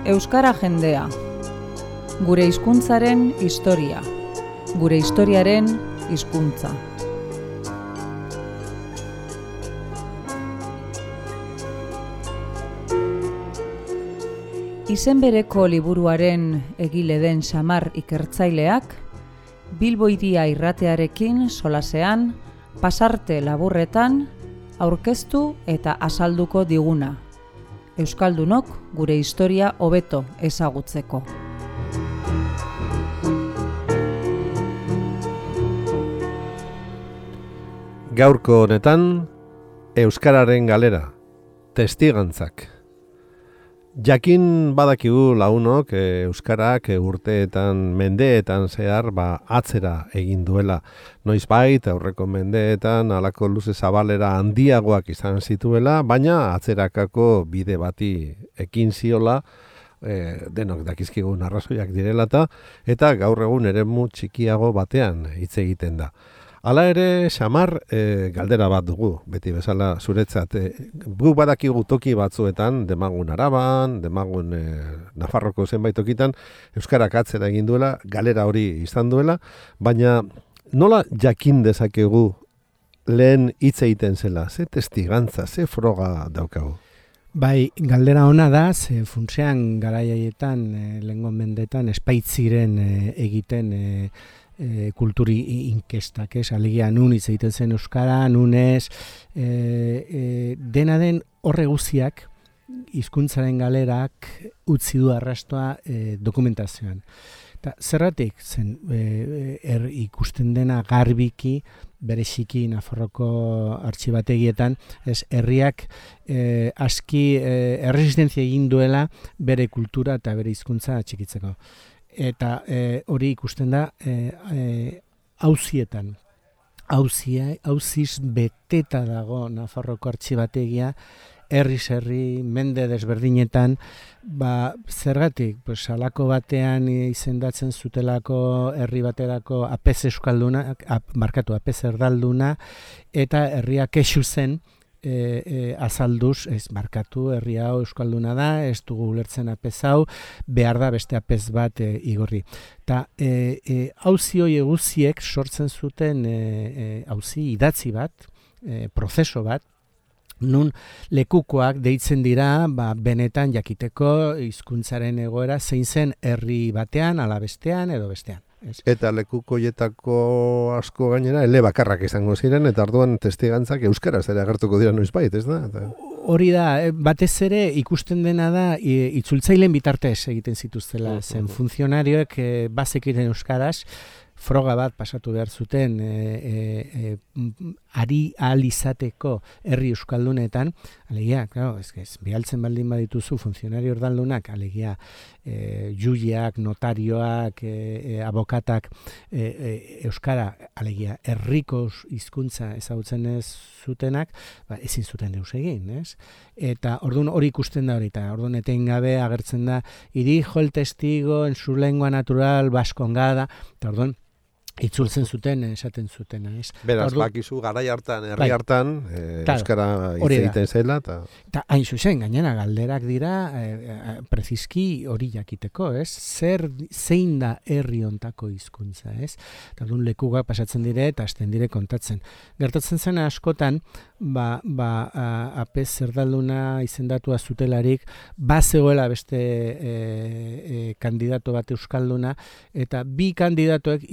Euskara jendea. Gure hizkuntzaren historia. Gure historiaren hizkuntza. Izen bereko liburuaren egile den Xamar ikertzaileak, Bilbo Hiria irratearekin solasean, pasarte laburretan, aurkeztu eta azalduko diguna. Euskaldunok gure historia hobeto ezagutzeko. Gaurko honetan, Euskararen galera, testigantzak. Jakin badakigu launok Euskarak urteetan, mendeetan zehar atzera egin duela. Noizbait aurreko mendeetan halako luze zabalera handiagoak izan zituela, baina atzerakako bide bati ekin ziola, denok dakizkigun arrazoiak direla eta gaur egun eremu txikiago batean hitz egiten da. Hala ere, Xamar, galdera bat dugu, beti bezala zuretzat. Gu badakigu toki batzuetan, Demagun Araban, Demagun Nafarroko zenbait tokitan, Euskarak atzera egin duela, galera hori izan duela, baina nola jakin dezakegu lehen hitz egiten zela, ze testigantza, ze froga daukagu? Bai, galdera ona da, ze funtsean garaiaietan, lehengo mendetan, espaitziren egiten kulturi inkestak, alegia nun hitz egiten zen Euskara, nunez, dena den horre guztiak, hizkuntzaren galerak utzi du arrastoa dokumentazioan. Eta zerratik zen ikusten dena garbiki, bereziki Nafarroko artxibategietan, herriak aski erresistentzia egin duela bere kultura eta bere hizkuntza txikitzeko. Eta hori ikusten da auzietan. Auziz beteta dago Nafarroko artxibategia, herri, mende desberdinetan, zergatik, halako batean izendatzen zutelako herri baterako apez euskaldunak, apez erdalduna, eta herriak kexu zen, azalduz, herri hau euskalduna da, ez dugu ulertzen apez hau, behar da beste apez bat igorri. Eta auzi hori guziek sortzen zuten auzi idatzi bat, prozeso bat, nun lekukoak deitzen dira benetan jakiteko hizkuntzaren egoera zein zen herri batean, ala bestean edo bestean. Eta lekukoietako asko gainera elebakarrak izango ziren, eta orduan testigantzak euskaraz ere agertuko dira noizbait, ez da? Hori da, batez ere ikusten dena da itzultzaileen bitartez egiten zituztela, zen funtzionarioek bazekiten euskaraz, froga bat pasatu behar zuten ari ahal izateko herri euskaldunetan, alegia, bihaltzen baldin badituzu funtzionario erdaldunak, alegia, juiak, notarioak, abokatak, euskara, alegia, herriko hizkuntza ezagutzen ez zutenak, ezin zuten deus egin, ez? Eta orduan hori ikusten da hori, eta orduan etengabe agertzen da, irijo el testigo en su lengua natural baskongada, eta orduan itzultzen zuten, esaten zuten. Beraz, bakizu garai hartan, herri hartan, euskara hitz egiten zela. Eta hain zuzen, gainera galderak dira, prezizki hori jakiteko, ez? Zein da herri hontako hizkuntza, ez? Eta orduan lekuak pasatzen dire eta hasten dire kontatzen. Gertatzen zen askotan, apez erdalduna izendatua zutelarik, zegoela beste kandidato bat euskalduna, eta bi kandidatoek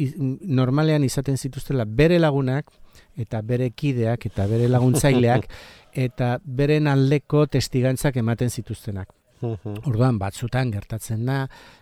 normalean izaten zituztela bere lagunak, eta bere kideak, eta bere laguntzaileak, eta beren aldeko testigantzak ematen zituztenak. Orduan, batzutan gertatzen da,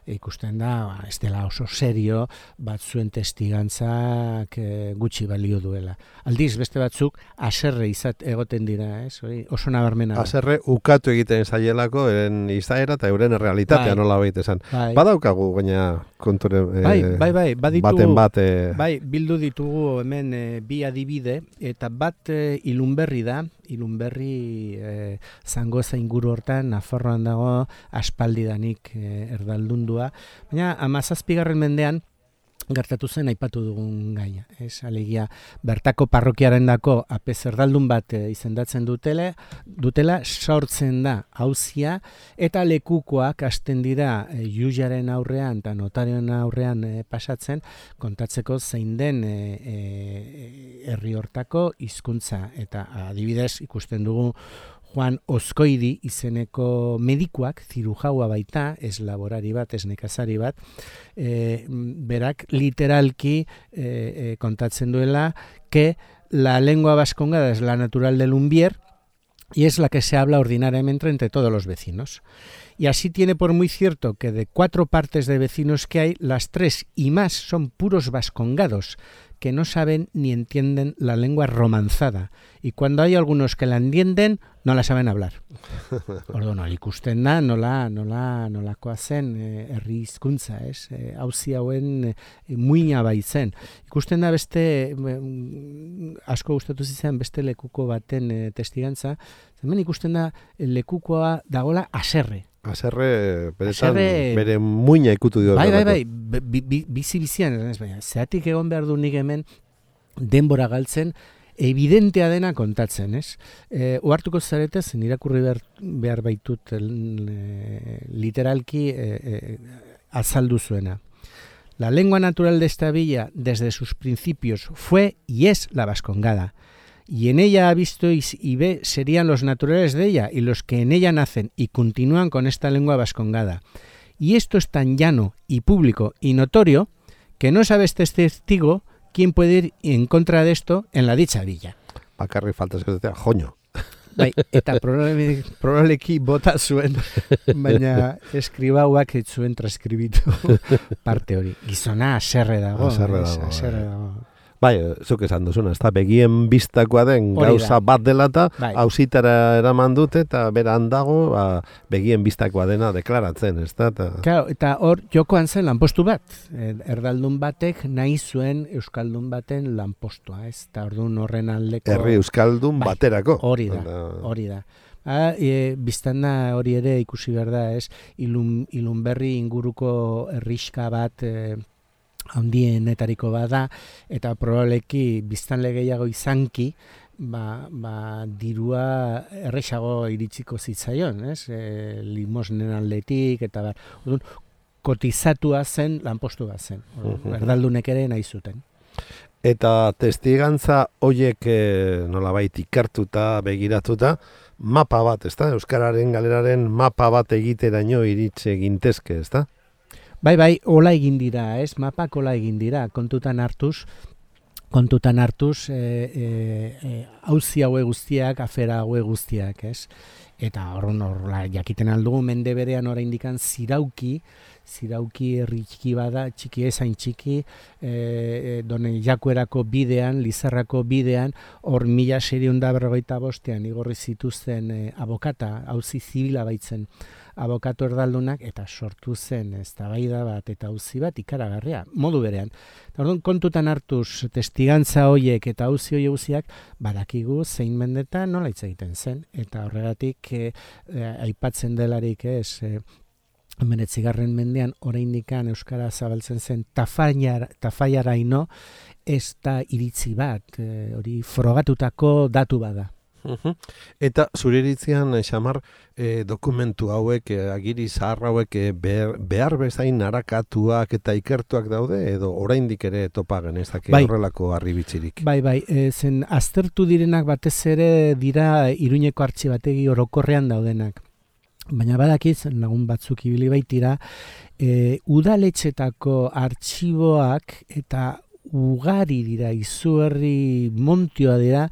ikusten da, ez dela oso serio, batzuen testigantzak gutxi balio duela. Aldiz, beste batzuk, haserre egoten dira, oso nabarmena. Haserre ukatu egiten zaielako, eren izaera eta euren realitatea nola baita esan. Badaukagu, gaina konture baten bat. Bai, bildu ditugu hemen bi adibide, eta bat Ilunberri da, Ilunberri Zangoza inguru hortan, Nafarroan dago aspaldidanik erdaldundua. Baina 17. mendean gertatu zen aipatu dugun gaia. Alegia, bertako parrokiarendako ape zerdaldun bat izendatzen dutela, sortzen da auzia, eta lekukoak hasten dira jujaren aurrean eta notarioen aurrean pasatzen, kontatzeko zein den herri hortako hizkuntza. Eta adibidez ikusten dugu Juan Ozkoidi izeneko medikuak, zirujaua baita, ez laborari bat, ez nekazari bat, berak literalki kontatzen duela que la lengua vascongada es la natural del Lumbier y es la que se habla ordinariamente entre todos los vecinos. Y así tiene por muy cierto que de 4 partes de vecinos que hay, las 3 y más son puros vascongados, que no saben ni entienden la lengua romanzada. Y cuando hay algunos que la entienden, no la saben hablar. Orduan, ikusten da, nolakoa zen herri hizkuntza, ez? Auzi hauen muina baitzen. Ikusten da beste, asko gustatu zitzen beste lekuko baten testigantza, hemen ikusten da lekukoa dagola haserre. Haserre, bere muina ikutu dio. Bai, bizi-bizian, zeatik egon behar du nik hemen denbora galtzen, evidentea dena kontatzen, ez? Ohartuko zarete, zen irakurri behar baitut literalki azaldu zuena. La lengua natural de esta villa, desde sus principios, fue y es la vascongada. Y en ella ha visto y ve serían los naturales de ella y los que en ella nacen y continúan con esta lengua vascongada. Y esto es tan llano y público y notorio que no sabe este testigo quién puede ir en contra de esto en la dicha villa. Bakarri falta eskatzea, joño. Bai, eta probableki bota zuen, baina eskribauak ez zuen transkribitu parte hori. Gizona haserre dago. Bai, zuk esan duzuna, ez da, begien biztakoa den gauza bat dela eta auzitara eraman dute eta beran dago begien biztakoa dena deklaratzen, ez da? Claro, eta hor jokoan zen lanpostu bat. Erdaldun batek nahi zuen euskaldun baten lanpostua, ez? Eta orduan horren aldeko... Herri euskaldun baterako. Hori da. Biztanda hori ere ikusi behar da, ez? Ilunberri inguruko herrixka bat... handienetariko bada, eta probableki biztanle gehiago izanki, dirua erresago iritsiko zitzaion, ez? Limosnen aldetik, eta kotizatua zen, lanpostu bat zen. Erdaldunek ere nahi zuten. Eta testigantza hoiek nolabait ikertuta, begiratuta, mapa bat, ez da? Euskararen galeraren mapa bat egiteraino iritse gintezke, ez da? Bai, hola egin dira, ez? Mapak hola egin dira, kontutan hartuz, auzi haue guztiak, afera haue guztiak, ez? Eta horrela, jakiten aldugu mende berean oraindikan zirauki herri txiki bada, txiki ezain txiki, Done Jakuerako bidean, Lizarrako bidean, hor 1655 igorri zituzten abokata, auzi zibila baitzen, abokatu erdaldunak, eta sortu zen eztabaida bat eta auzi bat ikaragarria, modu berean. Orduan, kontutan hartuz testigantza hoiek eta auzi horiek guztiak, badakigu zein mendetan nola hitz egiten zen, eta horregatik aipatzen delarik ez, 19. mendean oraindikan euskara zabaltzen zen tafaiaraino, ez da iritzi bat, hori frogatutako datu bada. Eta zure iritzian, Xamar, dokumentu hauek, agiri zahar hauek behar bezain arakatuak eta ikertuak daude, edo oraindik ere topa genezake horrelako harribitzirik? Bai, zen aztertu direnak batez ere dira Iruñeko artxibategi orokorrean daudenak. Baina badakiz, lagun batzuk ibili baitira, udaletxetako artxiboak eta ugari dira, izugarri montioa dira,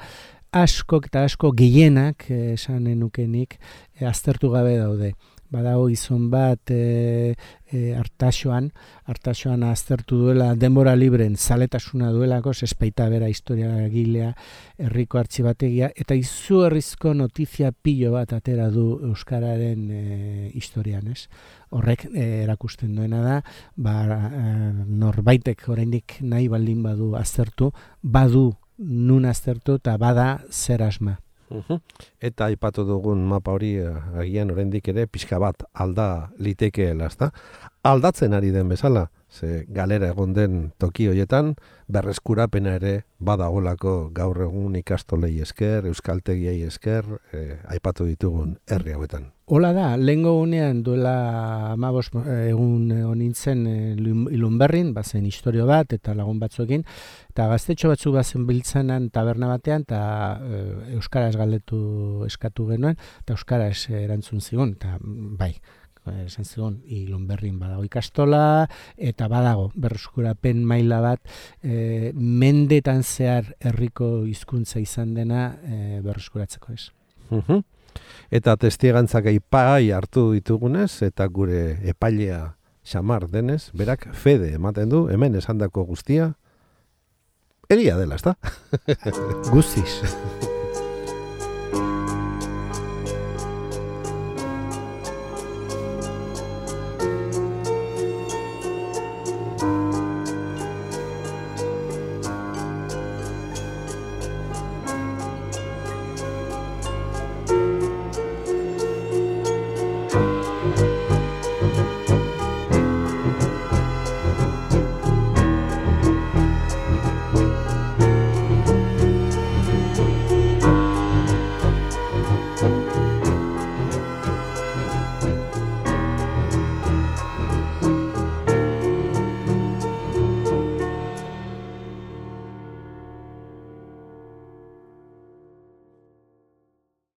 asko eta asko gehienak, esanen nukenik, aztertu gabe daude. Badago gizon bat Artaxoan aztertu duela denbora libren zaletasuna duelako, espaita bera historia gilea, herriko artxibategia, eta izugarrizko notizia pilo bat atera du euskararen historian, ez? Horrek erakusten duena da, norbaitek oraindik nahi baldin badu aztertu, badu nun aztertu eta bada zer asma. Eta aipatu dugun mapa hori agian oraindik ere pixka bat alda litekeela, ezta? Aldatzen ari den bezala, ze galera egon den toki hoietan, berreskurapena ere badagolako gaur egun ikastolei esker, euskaltegiei esker, aipatu ditugun herri hauetan. Hola da, lehengo unean duela 15 egun honintzen Ilunberrin, bazen historio bat eta lagun batzuekin, eta gaztetxo batzu bazen biltzanan taberna batean, eta euskaraz galdetu eskatu genuen, eta euskaraz erantzun zigun, eta bai, esan zigun, Ilunberrin badago ikastola, eta badago berreskurapen maila bat, mendetan zehar herriko hizkuntza izan dena berreskuratzeko ez. Eta testigantzak aipai hartu ditugunez, eta gure epailea Xamar denez, berak fede ematen du, hemen esandako guztia, egia dela, ezta? Guztiz.